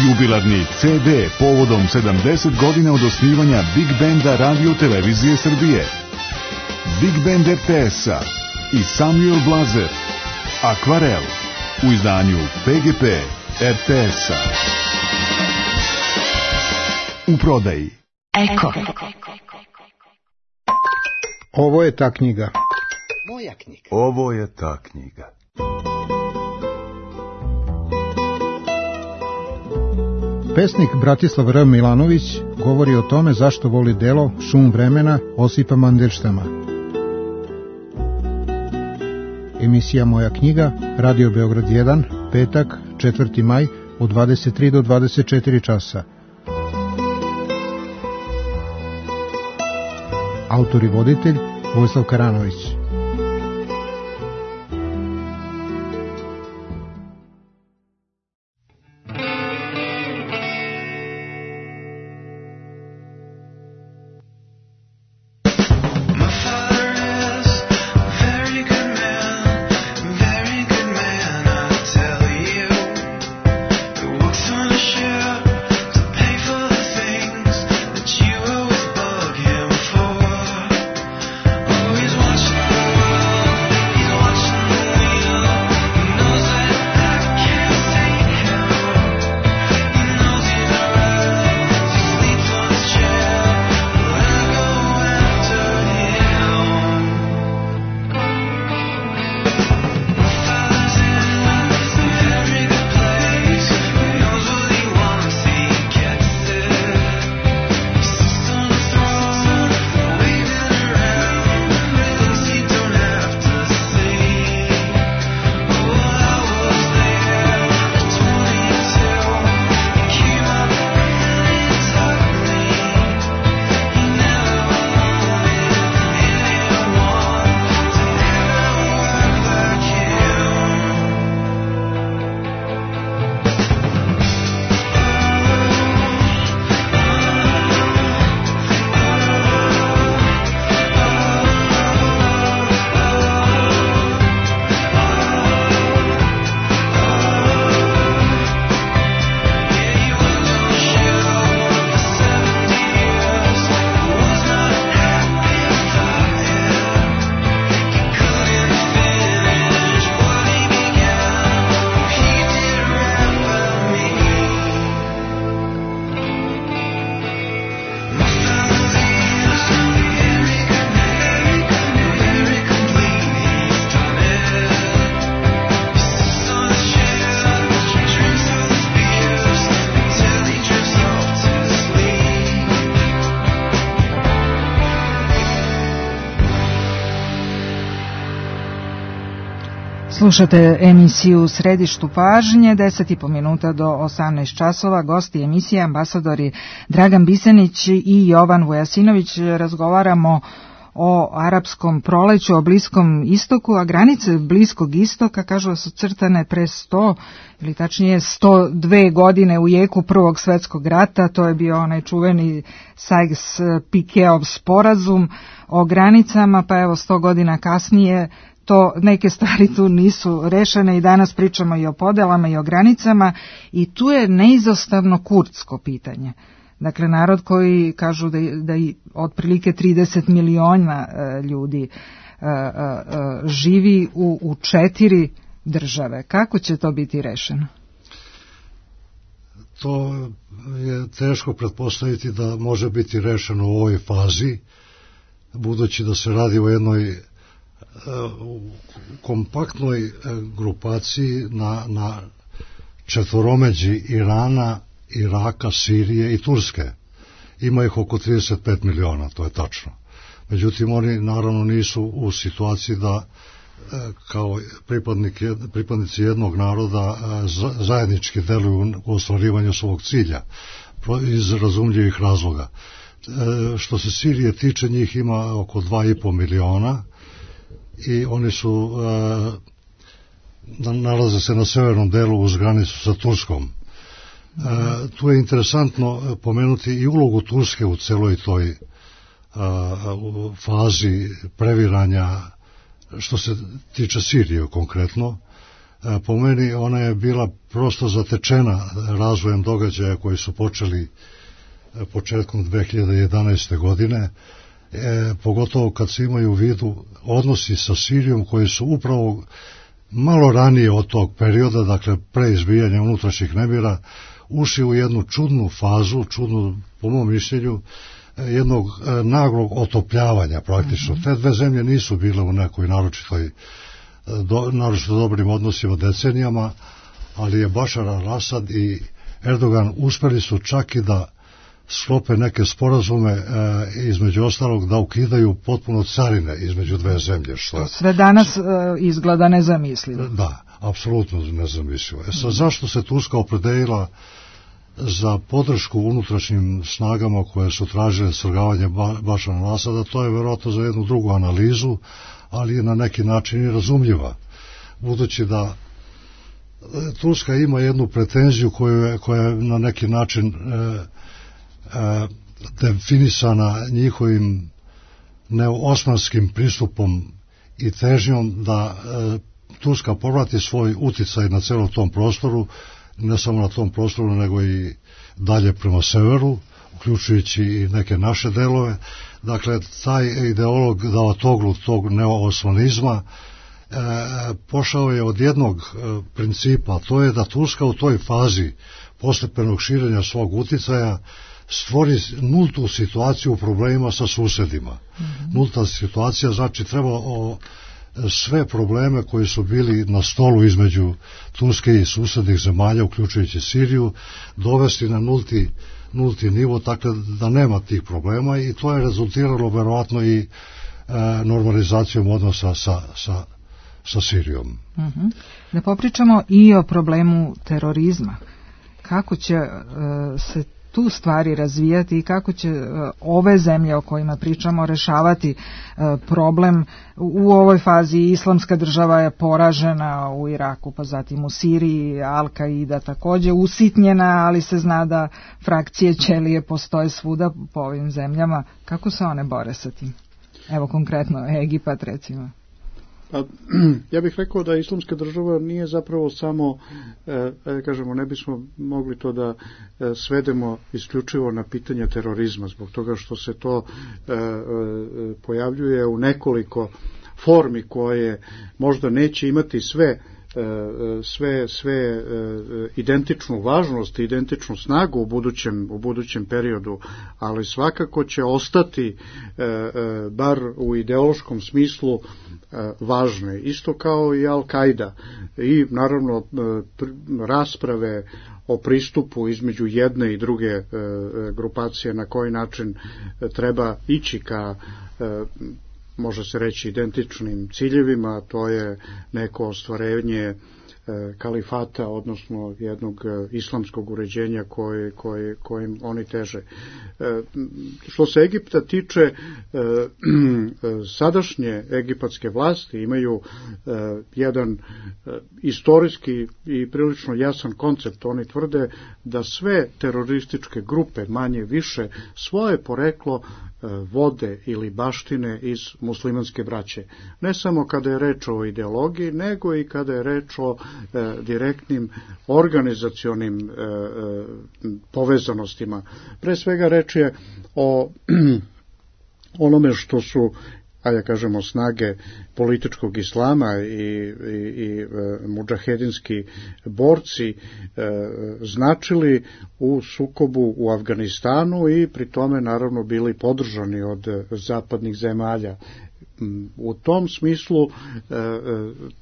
Jubilarni C D povodom sedamdeset godina od osnivanja Big Benda Radio Televizije Srbije. Big Band R T S-a i Samuel Blazer. Akvarel u izdanju P G P R T S-a. U prodaji. Eko. Ovo je ta knjiga. Moja knjiga. Ovo je ta knjiga. Pesnik Bratislav R. Milanović govori o tome zašto voli delo Šum vremena Osipa Mandelštama. Emisija Moja knjiga, Radio Beograd jedan, petak, četvrti maj, od dvadeset tri do dvadeset četiri časa. Autor i voditelj Vojislav Karanović. Slušate emisiju Središtu pažnje, deset i po minuta do osamnaest časova. Gosti emisije ambasadori Dragan Bisenić i Jovan Vujasinović. Razgovaramo o arapskom proleću, o Bliskom istoku, a granice Bliskog istoka kažu da su crtane pre sto ili tačnije sto dve godine u jeku Prvog svetskog rata. To je bio onaj čuveni Sykes-Picotov sporazum o granicama, pa evo sto godina kasnije to neke stvari tu nisu rešene i danas pričamo i o podelama i o granicama i tu je neizostavno kurdsko pitanje. Dakle, narod koji kažu da, da i otprilike trideset miliona e, ljudi e, e, živi u, u četiri države. Kako će to biti rešeno? To je teško pretpostaviti da može biti rešeno u ovoj fazi, budući da se radi o jednoj u kompaktnoj grupaciji na, na četvoromeđi Irana, Iraka, Sirije i Turske. Ima ih oko trideset pet miliona, to je tačno. Međutim, oni naravno nisu u situaciji da kao pripadnici jednog naroda zajednički deluju u ostvarivanju svog cilja iz razumljivih razloga. Što se Sirije tiče, njih ima oko dva i po miliona i oni su nalaze se na severnom delu uz granicu sa Turskom. E, tu je interesantno pomenuti i ulogu Turske u celoj toj a, u fazi previranja što se tiče Sirije konkretno. E, po meni ona je bila prosto zatečena razvojem događaja koji su počeli početkom dve hiljade jedanaeste. godine, e, pogotovo kad se imaju u vidu odnosi sa Sirijom koji su upravo malo ranije od tog perioda, dakle pre izbijanja unutrašnjih nemira, ušli u jednu čudnu fazu, čudnu po mom mišljenju, jednog naglog otopljavanja praktično. Mm-hmm. Te dve zemlje nisu bile u nekoj naročitoj, do, naročito dobrim odnosima decenijama, ali je Bašar al-Asad i Erdogan uspeli su čak i da sklope neke sporazume, e, između ostalog da ukidaju potpuno carine između dve zemlje. Što sve danas e, izgleda nezamislivo. Da, apsolutno nezamislivo. E sad, zašto se Turska opredelila za podršku unutrašnjim snagama koje su tražile svrgavanje ba, Bašara al-Asada, to je verovatno za jednu drugu analizu, ali je na neki način i razumljiva. Budući da Turska ima jednu pretenziju koju je, koja je na neki način e, e, definisana njihovim neosmanskim pristupom i težnjom da e, Turska povrati svoj uticaj na celom tom prostoru, ne samo na tom prostoru, nego i dalje prema severu, uključujući i neke naše delove. Dakle, taj ideolog Davutoglu, tog neoosmanizma, e, pošao je od jednog e, principa, to je da Turska u toj fazi postepenog širenja svog uticaja stvori nultu situaciju u problemima sa susedima. Mm-hmm. Nulta situacija znači treba o sve probleme koji su bili na stolu između Turske i susednih zemalja, uključujući Siriju, dovesti na nulti, nulti nivo, tako da nema tih problema, i to je rezultiralo verovatno i e, normalizacijom odnosa sa, sa, sa Sirijom. Uh-huh. Da popričamo i o problemu terorizma. Kako će e, se tu stvari razvijati i kako će uh, ove zemlje o kojima pričamo rešavati uh, problem. U ovoj fazi Islamska država je poražena u Iraku, pa zatim u Siriji, Al-Kaida takođe usitnjena, ali se zna da frakcije ćelije postoje svuda po ovim zemljama. Kako se one bore sa tim? Evo konkretno Egipat recimo. Pa, ja bih rekao da Islamska država nije zapravo samo, e, kažemo, ne bismo mogli to da e, svedemo isključivo na pitanje terorizma, zbog toga što se to e, e, pojavljuje u nekoliko formi koje možda neće imati sve sve sve identičnu važnost i identičnu snagu u budućem u budućem periodu, ali svakako će ostati bar u ideološkom smislu važne, isto kao i Al-Kaida, i naravno rasprave o pristupu između jedne i druge grupacije, na koji način treba ići ka, može se reći, identičnim ciljevima, to je neko ostvarenje kalifata, odnosno jednog islamskog uređenja koje, koje, kojim oni teže. Što se Egipta tiče, sadašnje egipatske vlasti imaju jedan istorijski i prilično jasan koncept. Oni tvrde da sve terorističke grupe, manje više, svoje poreklo vode ili baštine iz muslimanske braće. Ne samo kada je reč o ideologiji, nego i kada je reč o e, direktnim organizacionim e, e, povezanostima. Pre svega reč je o onome što su, a ja kažemo, snage političkog islama i, i, i e, mudžahedinski borci e, značili u sukobu u Afganistanu i pri tome naravno bili podržani od zapadnih zemalja. U tom smislu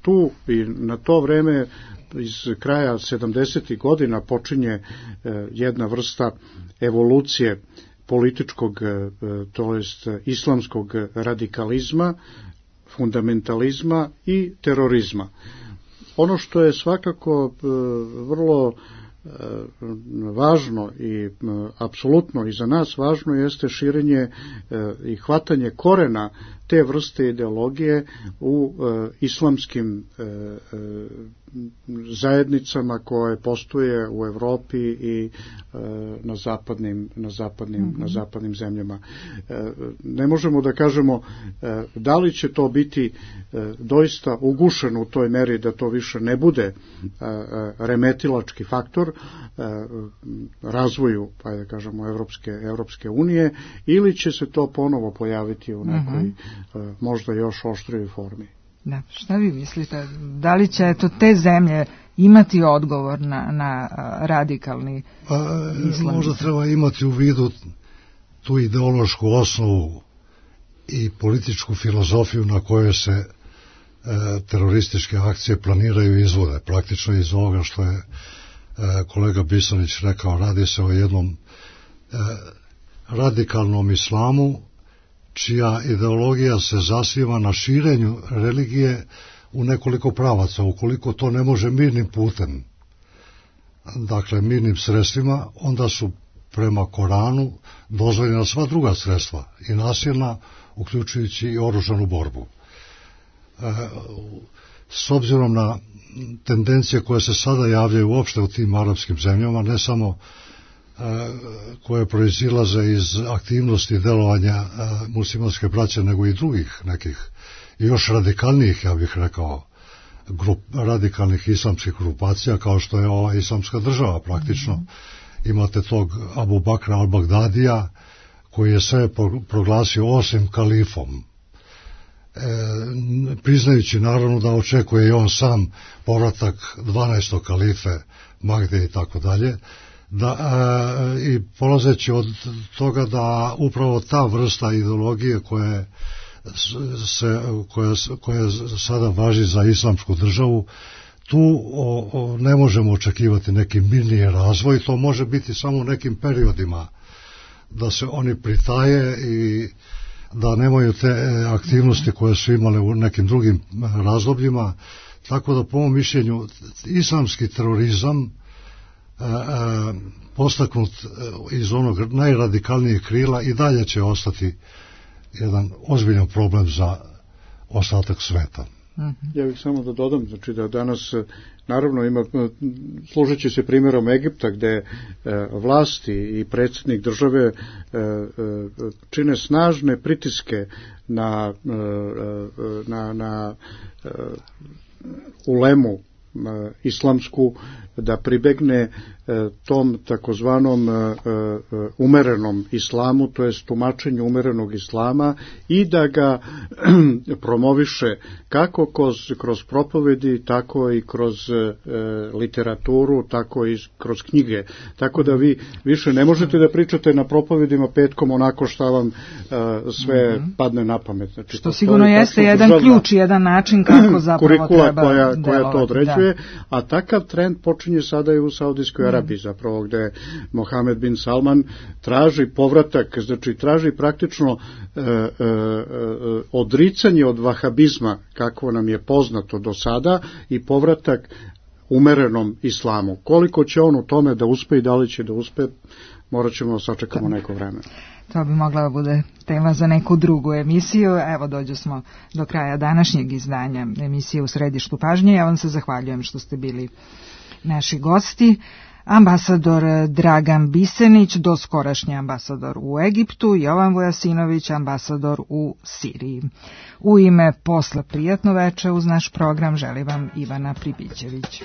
tu i na to vreme iz kraja sedamdesetih godina počinje jedna vrsta evolucije političkog, to jest islamskog radikalizma, fundamentalizma i terorizma. Ono što je svakako vrlo važno i apsolutno i za nas važno jeste širenje i hvatanje korena te vrste ideologije u islamskim zajednicama koje postoje u Evropi i na zapadnim, na zapadnim, mm-hmm. na zapadnim zemljama. Ne možemo da kažemo da li će to biti doista ugušeno u toj meri da to više ne bude remetilački faktor razvoju, pa da kažemo, Evropske, Evropske unije, ili će se to ponovo pojaviti u nekoj mm-hmm. možda još oštrijoj formi. Da, šta vi mislite? Da li će eto, te zemlje imati odgovor na, na radikalni pa, islam? Možda treba imati u vidu tu ideološku osnovu i političku filozofiju na kojoj se e, terorističke akcije planiraju i izvode. Praktično iz ovoga što je e, kolega Bisanić rekao, radi se o jednom e, radikalnom islamu čija ideologija se zasniva na širenju religije u nekoliko pravaca. Ukoliko to ne može mirnim putem, dakle mirnim sredstvima, onda su prema Koranu dozvoljena sva druga sredstva i nasilna, uključujući i oružanu borbu. E, s obzirom na tendencije koje se sada javljaju uopšte u tim arapskim zemljama, ne samo koje proizilaze iz aktivnosti delovanja muslimanske braće, nego i drugih nekih, i još radikalnijih, ja bih rekao, grup, radikalnih islamskih grupacija, kao što je ova islamska država praktično. Mm-hmm. Imate tog Abu Bakra al-Bagdadija, koji je sve proglasio osim kalifom. E, priznajući naravno da očekuje i on sam povratak dvanaestog kalife, Magde i tako dalje, da, e, i polazeći od toga da upravo ta vrsta ideologije koja, se, koja, koja sada važi za islamsku državu, tu o, o, ne možemo očekivati neki mirniji razvoj, to može biti samo u nekim periodima, da se oni pritaje i da nemaju te aktivnosti koje su imale u nekim drugim razdobljima, tako da po mom mišljenju islamski terorizam postaknut iz onog najradikalnijeg krila i dalje će ostati jedan ozbiljan problem za ostatak sveta. Ja bih samo da dodam, znači da danas naravno ima, služeći se primjerom Egipta, gde e, vlasti i predsjednik države e, e, čine snažne pritiske na, e, na, na e, ulemu islamsku da pribegne tom takozvanom umerenom islamu, to jest tumačenju umerenog islama, i da ga promoviše kako kroz, kroz propovedi, tako i kroz literaturu, tako i kroz knjige. Tako da vi više ne možete da pričate na propovedima petkom onako šta vam sve mm-hmm. padne na pamet. Znači, što sigurno jeste jedan ključ, jedan način kako zapravo kurikula treba koja, delovati, koja to određuje, da. A takav trend počinje sada i u Saudijskoj Arabiji. Arabiji, zapravo gde Mohamed bin Salman traži povratak, znači traži praktično e, e, odricanje od vahabizma, kako nam je poznato do sada, i povratak umerenom islamu. Koliko će on u tome da uspe i da li će da uspe, morat ćemo da sačekamo neko vreme. To bi mogla da bude tema za neku drugu emisiju. Evo, dođe smo do kraja današnjeg izdanja emisije U središtu pažnje. Ja vam se zahvaljujem što ste bili naši gosti. Ambasador Dragan Bisenić, doskorašnji ambasador u Egiptu, Jovan Vujasinović, ambasador u Siriji. U ime Posla prijatno veče uz naš program želi vam Ivana Pribićević.